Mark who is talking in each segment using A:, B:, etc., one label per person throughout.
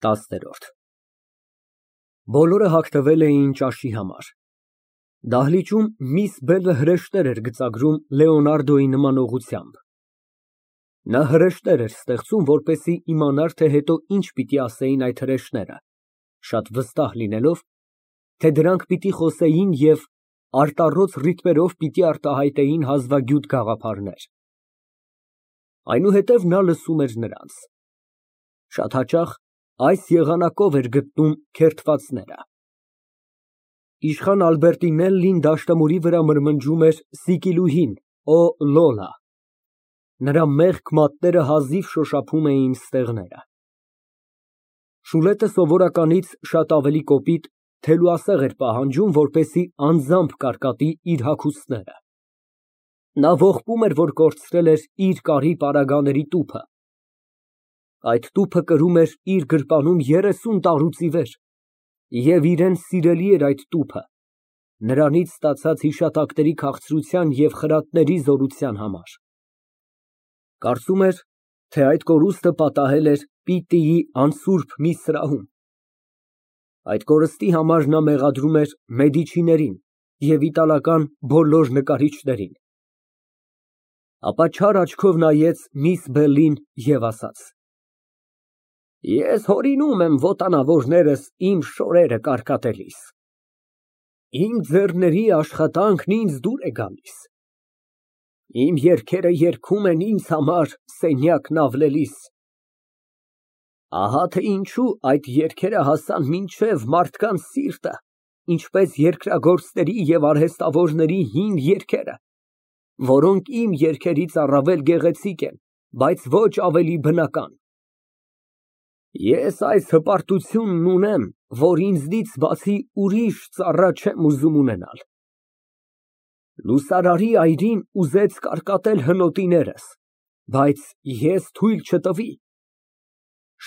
A: 10։ Բոլորը հագնվել էին ճաշի համար։ Դահլիճում միս Բելը հրեշտներ էր գծագրում Լեոնարդոյի նմանողությամբ։ Նա հրեշտներ էր ստեղծում, որպեսզի իմանար, թե հետո ինչ պիտի ասեին այդ հրեշտները, շատ վստահ լինելով, թե դրանք պիտի խոսեին և արտառոց ռիթմերով պիտի արտահայտեին հազվագյուտ գաղափարներ։ Այնուհետև նա լսում էր նրանց։ Շատ հաճախ այս եղանակով էր գտնում քերթվածները։ Իշխան Ալբերտինելլին դաշնամուրի վրա մրմնջում էր Սիկիլուհին, «Օ Լոլա»։ Նրա մեղք մատները հազիվ շոշափում էին ստեղները։ Շուլետը սովորականից շատ ավելի կոպիտ, թելուասեղ էր պահանջում, որպեսզի անձամբ կարկատի իր հագուստները։ Նա ողբում էր, որ կորցրել էր իր կարի պարագաների տուփը։ Այդ տուփը կրում էր իր գրպանում 30 տարուց ի վեր, և իրան սիրելի էր այդ տուփը, նրանից ստացած հիշատակների քաղցրության և խրատների զորության համար։ Կարծում էր, թե այդ կորուստը պատահել էր Պիտիի անսուրբ մի սրահում։ Այդ կորստի համար նա մեղադրում էր Մեդիչիներին և իտալական բոլոր նկարիչներին։ Ապա չար աչքով նայեց միս Բելլին և ասաց. Ես հորինում եմ ոտանավորներս իմ շորերը կարկատելիս։ Իմ ձեռների աշխատանքն ինձ դուր է գալիս։ Իմ երգերը երգում են ինձ համար սենյակն ավլելիս։ Ահա թե ինչու այդ երգերը հասան մինչև մարդկանց սիրտը, ինչպես երկրագործների և արհեստավորների հին երգերը, որոնք իմ երգերից առավել գեղեցիկ են, բայց ոչ ավելի բնական։ Ես այս հպարտությունն ունեմ, որ ինձնից բացի ուրիշ ծառա չեմ ուզում ունենալ։ Լուսարարի այրին ուզեց կարկատել հնոտիներս, բայց ես թույլ չտվի։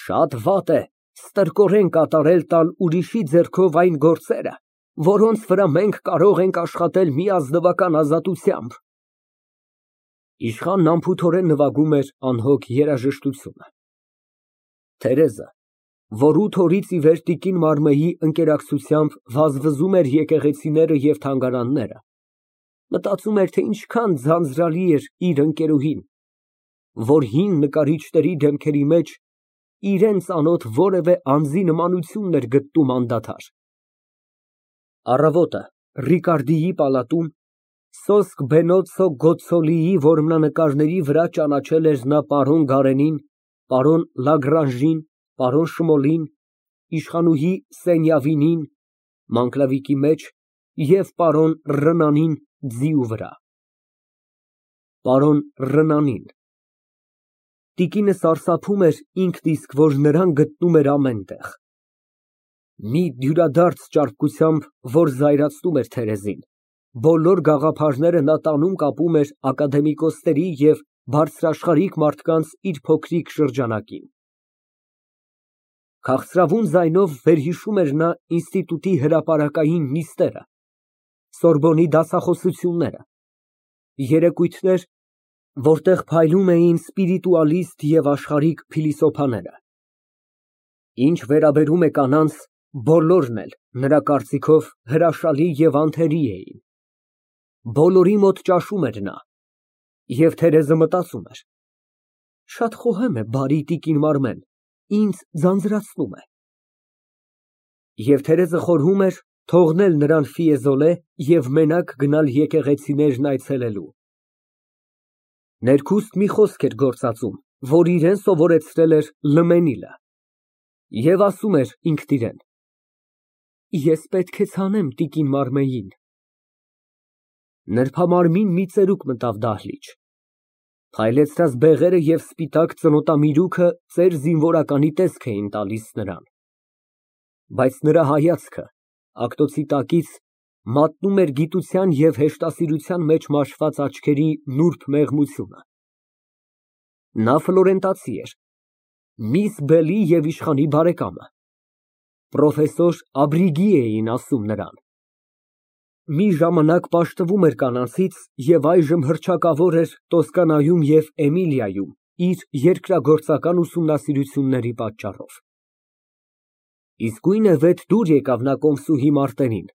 A: Շատ վատ է ստրկորեն կատարել տալ ուրիշի ձեռքով այն գործերը, որոնց վրա մենք կարող ենք աշխատել մի ազնվական ազատությամբ։ Իշխանն անփութորեն նվագում էր անհոգ երաժշտությունը։ Թերեզը, որ 8 օրից ի վեր տիկին Մարմեի ընկերակցությամբ վազվզում էր եկեղեցիները և թանգարանները, մտածում էր, թե ինչքան ձանձրալի էր իր ընկերուհին, որ հին նկարիչների դեմքերի մեջ իրան ծանոթ որևէ անձի նմանությունն էր գտնում անդադար։ Առավոտը Ռիկարդիի պալատում Սոսկ Բենոցո Գոցցոլիի որմնանկարների վրա ճանաչել էր նա պարոն Գարենին, պարոն Լագրանժին, պարոն Շմոլին, իշխանուհի Սենյավինին (մանկլավիկի մեջ) և պարոն Ռնանին ձիու վրա։ Պարոն Ռնանին տիկինը սարսափում էր ինքն իսկ, որ նրան գտնում էր ամեն տեղ։ Մի դյուրադարձ ճարպկությամբ, որ զայրացնում էր Թերեզին, բոլոր գաղափարները նա տանում կապում էր ակադեմիկոսների և բարձրաշխարհիկ մարդկանց իր փոքրիկ շրջանակին։ Քաղցրավուն ձայնով վերհիշում էր նա ինստիտուտի հրապարակային նիստերը, Սորբոնի դասախոսությունները, երեկույթներ, որտեղ փայլում էին սպիրիտուալիստ և աշխարհիկ փիլիսոփաները։ Ինչ վերաբերում է կանանց, բոլորն էլ, նրա կարծիքով, հրաշալի և անթերի էին։ Բոլորի մոտ ճաշում էր նա, և Թերեզը մտածում էր. շատ խոհեմ է բարի տիկին Մարմեն, ինձ ձանձրացնում է։ Եվ Թերեզը խորհում էր թողնել նրան ֆիեզոլե և մենակ գնալ եկեղեցիներն այցելելու։ Ներքուստ մի խոսք էր գործածում, որ իրան սովորեցրել էր Լմենիլը, և ասում էր ինքն իրան. ես պետք է ցանեմ տիկին Մարմեին։ Նրբամարմին մի ծերուկ մտավ դահլիճ։ Փայլեցրած բեղերը և սպիտակ ծնոտամիրուքը ծեր զինվորականի տեսք էին տալիս նրան, բայց նրա հայացքը ակտոցի տակից մատնում էր գիտության և հեշտասիրության մեջ մաշված աչքերի նուրբ մեղմությունը։ Նա ֆլորենտացի էր, միս Բելի և իշխանի բարեկամը, պրոֆեսոր Աբրիգի էին ասում նրան։ Մի ժամանակ պաշտվում էր կանանցից և այժմ հռչակավոր էր Տոսկանայում և Էմիլիայում իր երկրագործական ուսումնասիրությունների պատճառով։ Իսկույն է վետ դուր եկավ նա կոմսուհի Մարտենին,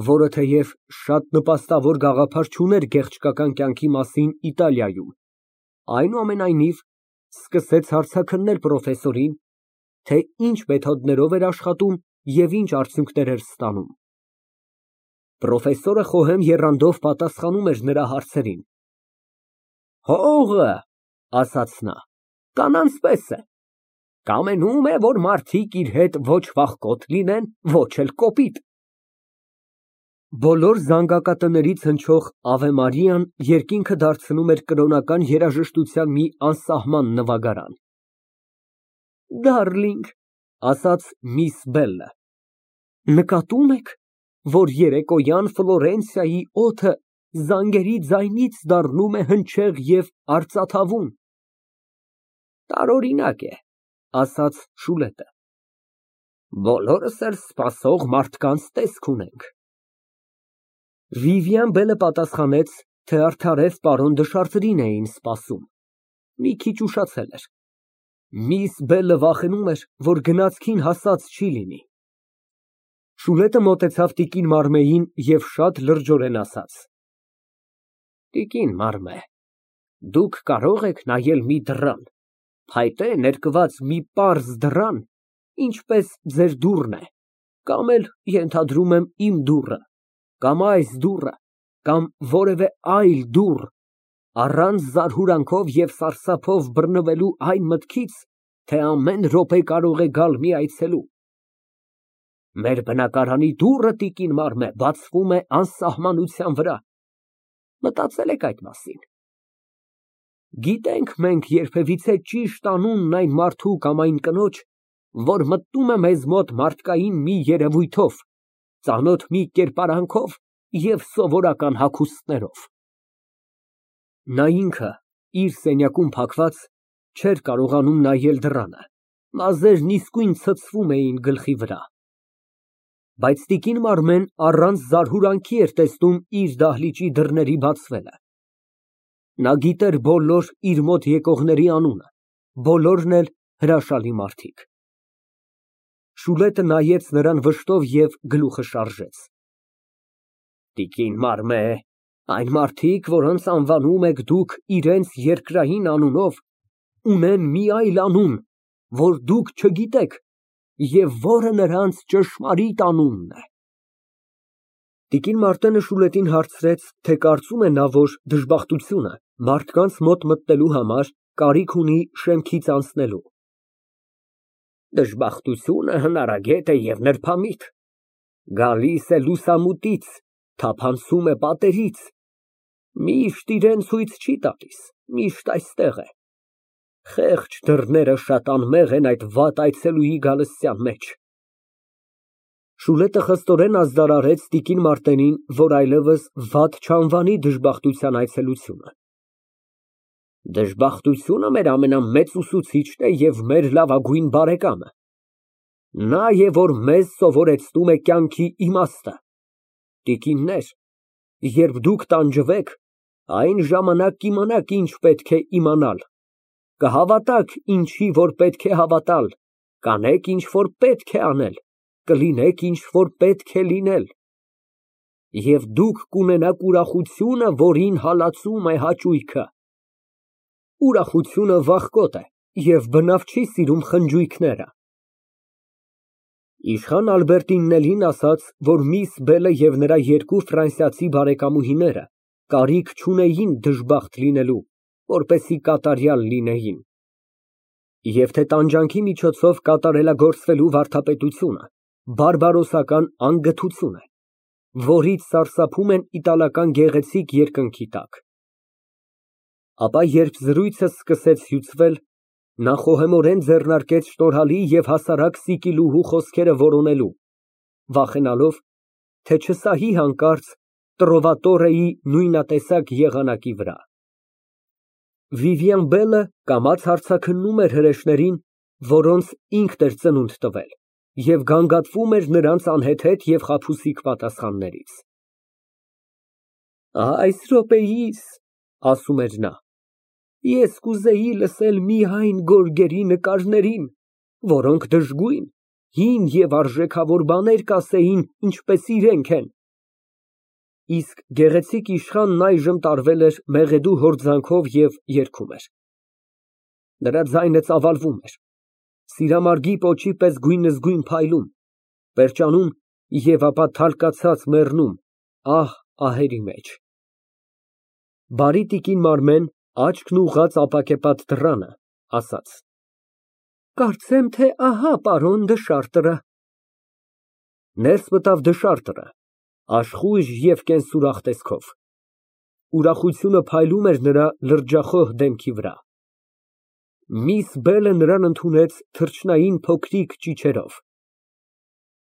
A: որը թեև շատ նպաստավոր գաղափար չուներ գեղչկական կյանքի մասին Իտալիայում, այնուամենայնիվ սկսեց հարցաքննել պրոֆեսորին, թե ինչ մեթոդներով էր աշխատում և ինչ արդյունքներ էր ստանում։ Պրոֆեսորը խոհեմ եռանդով պատասխանում էր նրա հարցերին։ Հողը, ասաց նա, կանանց պես է, կամենում է, որ մարդիկ իր հետ ոչ վախկոտ լինեն, ոչ էլ կոպիտ։ Բոլոր զանգակատներից հնչող «Ավե Մարիան» երկինքը դարձնում էր կրոնական երաժշտության մի անսահման նվագարան։ Դարլինգ, ասաց միս Բելլը, նկատում եք, որ երեկոյան Ֆլորենցիայի օդը զանգերի ձայնից դառնում է հնչեղ և արծաթավուն։ Տարօրինակ է, ասաց Շուլետը, բոլորս էլ սպասող մարդկանց տեսք ունենք։ Վիվիան պատասխանեց, թե արդարև պարոն Դշարտրին էին սպասում, մի քիչ ուշացել էր։ Միս Բելլը վախենում էր, որ գնացքին հասած չի լինի։ Շուլետը մոտեցավ տիկին Մարմեին և շատ լրջորեն ասաց. Տիկին Մարմե, դուք կարող եք նայել մի դռան, փայտե ներկված մի պարզ դռան, ինչպես ձեր դուռն է, կամ էլ, ենթադրում եմ, իմ դուռը, կամ այս դուռը, կամ որևէ այլ դուռ, առանց զարհուրանքով և սարսափով բռնվելու այն մտքից, թե ամեն րոպե կարող է գալ մի այցելու։ Մեր բնակարանի դուռը, տիկին Մարմե, բացվում է անսահմանության վրա, մտածել եք այդ մասին։ Գիտենք մենք երբևիցե ճիշտ անունն այն մարդու կամ այն կնոջ, որ մտնում է մեզ մոտ մարդկային մի երևույթով, ծանոթ մի կերպարանքով և սովորական հագուստներով։ Նա ինքը, իր սենյակում փակված, չէր կարողանում նայել դռանը, մազերն իսկույն ցցվում էին գլխի վրա։ Բայց տիկին Մարմեն առանց զարհուրանքի էր տեսնում իր դահլիճի դռների բացվելը։ Նա գիտեր բոլոր իր մոտ եկողների անունը, բոլորն էլ հրաշալի մարդիկ։ Շուլետը նայեց նրան վշտով և գլուխը շարժեց։ Տիկին Մարմե, այն մարդիկ, որոնց անվանում եք դուք իրենց երկրային անունով, ունեն մի այլ անուն, որ դուք չգիտեք և որը նրանց ճշմարիտ անունն է։ Տիկին Մարտենը Շուլետին հարցրեց, թե կարծում է նա, որ դժբախտությունը մարդկանց մոտ մտնելու համար կարիք ունի շեմքից անցնելու։ Դժբախտությունը հնարագետ է և նրբամիտ, գալիս է լուսամուտից, թափանցում է պատերից, միշտ իրան ցույց չի տալիս, միշտ այստեղ է։ Խեղճ դռները շատ անմեղ են այդ վատ այցելուի գալստյան մեջ։ Շուլետը խստորեն ազդարարեց տիկին Մարտենին, որ այլևս վատ չանվանի դժբախտության այցելությունը։ Դժբախտությունը մեր ամենամեծ ուսուցիչն է և մեր լավագույն բարեկամը։ Նա է, որ մեզ սովորեցնում է կյանքի իմաստը։ Տիկիններ, երբ դուք տանջվեք, այն ժամանակ կիմանաք ինչ պետք է իմանալ, կհավատաք ինչի որ պետք է հավատալ, կանեք ինչ որ պետք է անել, կլինեք ինչ որ պետք է լինել։ Եվ դուք կունենաք ուրախությունը, որին հալածում է հաճույքը։ Ուրախությունը վախկոտ է և բնավ չի սիրում խնջույքները։ Իշխան Ալբերտիննելին ասաց, որ միս Բելը և նրա երկու ֆրանսիացի բարեկամուհիները կարիք չունեին դժբախտ լինելու, որպեսզի կատարյալ լինեին, և թե տանջանքի միջոցով կատարելագործվելու վարդապետությունը բարբարոսական անգթություն է, որից սարսափում են իտալական գեղեցիկ երկնքի տակ։ Ապա երբ զրույցը սկսեց հյուծվել, նա խոհեմորեն ձեռնարկեց շնորհալի և հասարակ սիկիլուհու խոսքերը որոնելու, վախենալով, թե չսահի հանկարծ Տրովատորեի նույնատեսակ եղանակի վրա։ Վիվիան Բելը կամաց հարցաքննում էր հրեշներին, որոնց ինքն էր ծնունդ տվել, և գանգատվում էր նրանց անհեթեթ և խաբուսիկ պատասխաններից։ Այս րոպեիս, ասում էր նա, ես կուզեի լսել միայն գորգերի նկարներին, որոնք դժգույն հին և արժեքավոր բաներ կասեին, ինչպես իրենք են։ Իսկ գեղեցիկ իշխանն այժմ տարվել էր մեղեդու հորձանքով և երգում էր։ Նրա ձայնը ծավալվում էր, սիրամարգի պոչի պես գույնզգույն փայլում, պերճանում և ապա թալկացած մեռնում ահ֊ահերի մեջ։ Բարի տիկին Մարմեն, աչքն ուղղած ապակեպատ դռանը, ասաց. Կարծեմ, թե ահա պարոն Դշարտը։ Ներս մտավ Դշարտը, աշխույժ և կենսուրախ տեսքով։ Ուրախությունը փայլում էր նրա լրջախոհ դեմքի վրա։ Միս Բելը նրան ընդունեց թռչնային փոքրիկ ճիչերով։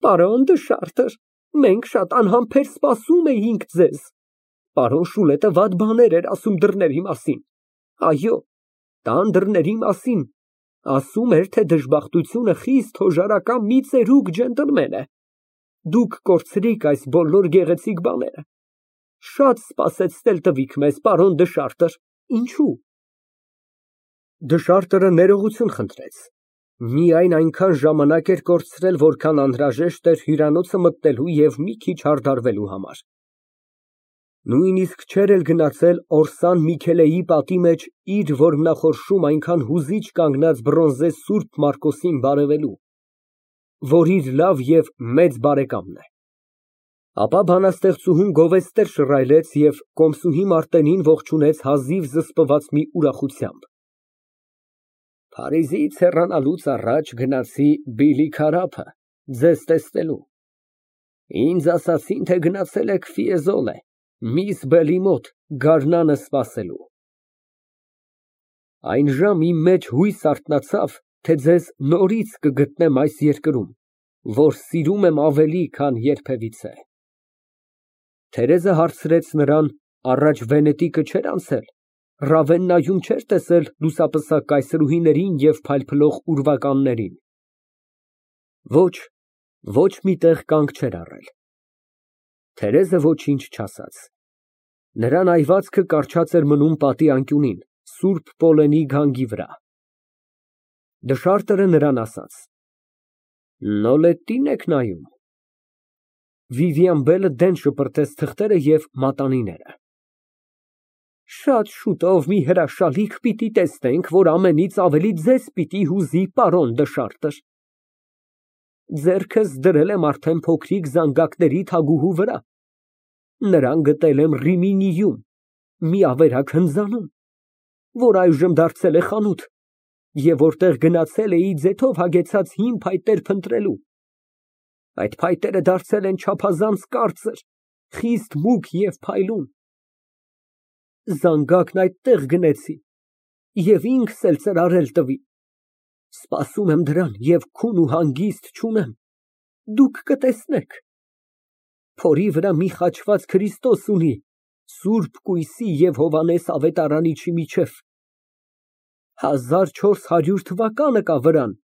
A: Պարոն Դշարտը, մենք շատ անհամբեր սպասում էինք ձեզ։ Պարոն Շուլետը վատ բաներ էր ասում դռների մասին։ Այո, տան դռների մասին։ Ասում էր, թե դժբախտությունը խիստ հոժարական մի ծերուկ ջենտլմեն է։ Դուք կորցրիք այս բոլոր գեղեցիկ բաները։ Շատ սպասեցնել տվիք մեզ, պարոն Դշարտը, ինչո՞ւ։ Դշարտը ներողություն խնդրեց։ Միայն այնքան ժամանակ էր կորցրել, որքան անհրաժեշտ էր հյուրանոցը մտնելու և մի քիչ հարդարվելու համար։ Նույնիսկ չէր էլ գնացել Օրսան Միքելեի պատի մեջ իր որմնախորշում այնքան հուզիչ կանգնած բրոնզե Սուրբ Մարկոսին բարևելու, որ իր լավ և մեծ բարեկամն է։ Ապա բանաստեղծուհուն գովեստներ շռայլեց և կոմսուհի Մարտենին ողջունեց հազիվ զսպված մի ուրախությամբ։ Փարիզից հեռանալուց առաջ գնացի Բիլի Քարափը ձեզ տեսնելու։ Ինձ ասացին, թե գնացել եք Ֆիեզոլե, միս Բելի մոտ գարնանը սպասելու։ Այն ժամ իմ մեջ հույս արթնացավ, թե ձեզ նորից կգտնեմ այս երկրում, որ սիրում եմ ավելի, քան երբևիցե։ Թերեզը հարցրեց նրան, առաջ Վենետիկը չէր անցել, Ռավեննայում չէր տեսել լուսապսակ կայսրուհիներին և փայլփլող ուրվականներին։ Ոչ, ոչ մի տեղ կանգ չէր առել։ Թերեզը ոչինչ չասաց։ Նրան այվածքը կառչած էր մնում պատի անկյունին, Սուրբ Պոլենի գանգի վրա։ Դշարտը նրան ասաց. Նոլետի՞ն եք նայում։ Վիվիան Բելը դեն շպրտեց թղթերը և մատանիները։ Շատ շուտով մի հրաշալիք պիտի տեսնենք, որ ամենից ավելի ձեզ պիտի հուզի, պարոն Դշարտը։ Ձեռքս դրել եմ արդեն փոքրիկ զանգակների թագուհու վրա։ Նրան գտել եմ Ռիմինիում, մի ավերակ հնձանում, որ այժմ դարձել է խանութ, և որտեղ գնացել էի ձեթով հագեցած հին փայտեր փնտրելու։ Այդ փայտերը դարձել են չափազանց կարծր, խիստ մուգ և փայլուն։ Զանգակն այդտեղ գնեցի և ինքս էլ ծրարել տվի։ Սպասում եմ դրան և քուն ու հանգիստ չունեմ, դուք կտեսնեք։ Փորի վրա մի խաչված Քրիստոս ունի Սուրբ Կույսի և Հովհաննես ավետարանիչի միջև։ 1400 թվականը կա վրան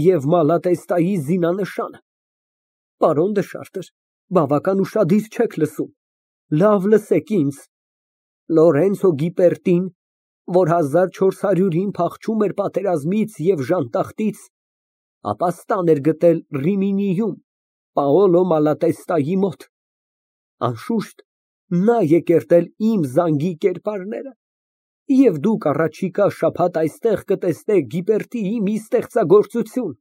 A: և Մալատեստայի զինանշանը։ Պարոն Դշարտը, բավական ուշադիր չեք լսում, լավ լսեք ինձ։ Լորենցո Գիպերտին, որ 1400-ին փախչում էր պատերազմից և ժանտախտից, ապաստան էր գտել Ռիմինիում, Պաոլո Մալատեստայի մոտ։ Անշուշտ, նա է կերտել իմ զանգի կերպարները, և դուք առաջիկա շաբաթ այստեղ կտեսնեք Գիպերտիի մի ստեղծագործություն։